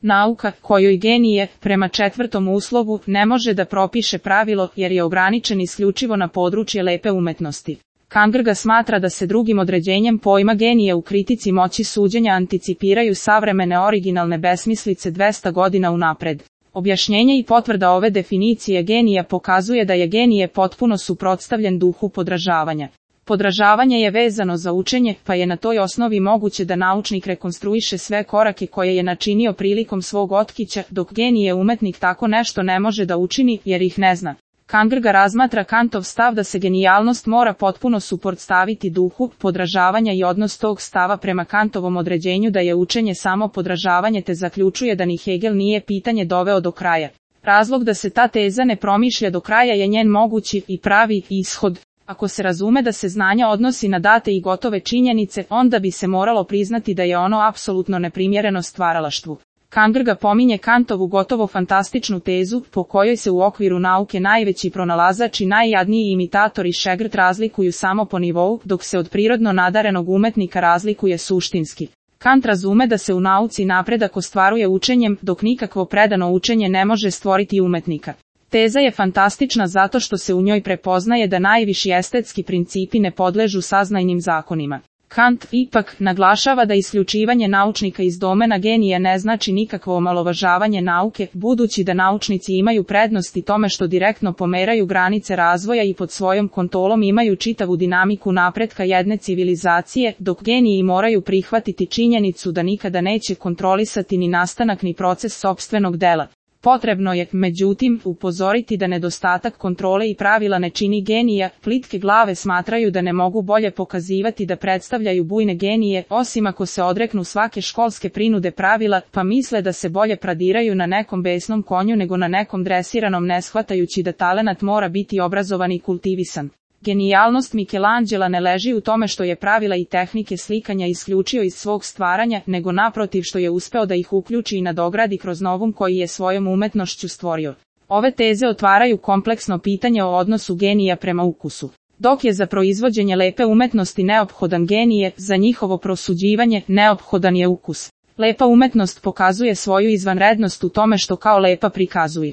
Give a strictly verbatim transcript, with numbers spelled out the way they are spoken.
Nauka, kojoj genije, prema četvrtom uslovu, ne može da propiše pravilo jer je ograničen isključivo na područje lepe umetnosti. Kangrga smatra da se drugim određenjem pojma genije u kritici moći suđenja anticipiraju savremene originalne besmislice dvesta godina unapred. Objašnjenje i potvrda ove definicije genija pokazuje da je genije potpuno suprotstavljen duhu podražavanja. Podražavanje je vezano za učenje, pa je na toj osnovi moguće da naučnik rekonstruiše sve korake koje je načinio prilikom svog otkrića, dok genije umetnik tako nešto ne može da učini, jer ih ne zna. Kangrga razmatra Kantov stav da se genijalnost mora potpuno suprotstaviti duhu podražavanja i odnos tog stava prema Kantovom određenju da je učenje samo podražavanje, te zaključuje da ni Hegel nije pitanje doveo do kraja. Razlog da se ta teza ne promišlja do kraja je njen mogući i pravi ishod. Ako se razume da se znanja odnosi na date i gotove činjenice, onda bi se moralo priznati da je ono apsolutno neprimjereno stvaralaštvu. Kangrga pominje Kantovu gotovo fantastičnu tezu, po kojoj se u okviru nauke najveći pronalazač i najjadniji imitator i šegrt razlikuju samo po nivou, dok se od prirodno nadarenog umetnika razlikuje suštinski. Kant razume da se u nauci napredak ostvaruje učenjem, dok nikakvo predano učenje ne može stvoriti umetnika. Teza je fantastična zato što se u njoj prepoznaje da najviši estetski principi ne podležu saznajnim zakonima. Kant, ipak, naglašava da isključivanje naučnika iz domena genija ne znači nikakvo omalovažavanje nauke, budući da naučnici imaju prednosti tome što direktno pomeraju granice razvoja i pod svojom kontrolom imaju čitavu dinamiku napretka jedne civilizacije, dok geniji moraju prihvatiti činjenicu da nikada neće kontrolisati ni nastanak ni proces sopstvenog dela. Potrebno je, međutim, upozoriti da nedostatak kontrole i pravila ne čini genija. Plitke glave smatraju da ne mogu bolje pokazivati da predstavljaju bujne genije, osim ako se odreknu svake školske prinude pravila, pa misle da se bolje pradiraju na nekom besnom konju nego na nekom dresiranom, ne shvatajući da talenat mora biti obrazovan i kultivisan. Genijalnost Michelangela ne leži u tome što je pravila i tehnike slikanja isključio iz svog stvaranja, nego naprotiv što je uspeo da ih uključi i nadogradi kroz novum koji je svojom umetnošću stvorio. Ove teze otvaraju kompleksno pitanje o odnosu genija prema ukusu. Dok je za proizvođenje lepe umetnosti neophodan genije, za njihovo prosuđivanje neophodan je ukus. Lepa umetnost pokazuje svoju izvanrednost u tome što kao lepa prikazuje.